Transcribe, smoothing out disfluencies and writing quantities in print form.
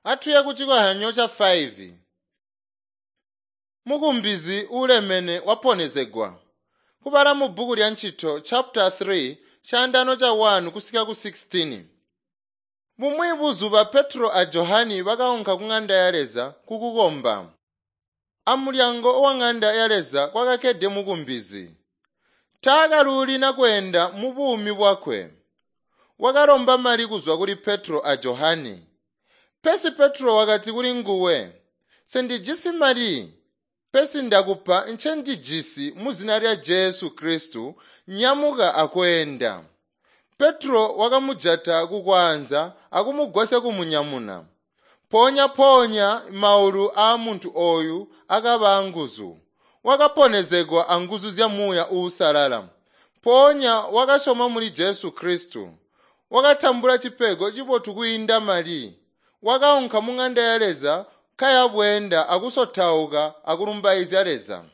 Atuye ku cikozyanyo ca 5. Mukumbizi ulemene waponezegwa. Kubala mu bbuku lya Ncito chapter 3 caandaano ca 1 kusika ku 16. Bumwi buzuba Petro a Johani bakaunka ku ng'anda ya Leza kukukomba. Amulyango wa ng'anda ya Leza kwakakkede mukumbizi. Taakalulina kweenda mu buumi bwakwe. Wakalomba mali kuzwa kuli Petro a Johani. Pesi Petro wakati kuli nguwe, "Sendijisi mali, pesi ndakupa ncendijisi mu zina lya Jesu Kristu, nyamuka akweenda." Petro wakamujata kukwaanza akumugwasya kumunyamuna. Mpoonya-mpoonya maulu aamuntu ooyu akaba anguzu. Wakaponezegwa anguzu zya Muuya Uusalala. Mpoonya wakasyoma muli Jesu Kristu. Wakatambula cipego cibotu kwiinda mali. Wakaunka mu ng'anda ya Leza kaya bweenda akusotauka akulumbaizya Leza.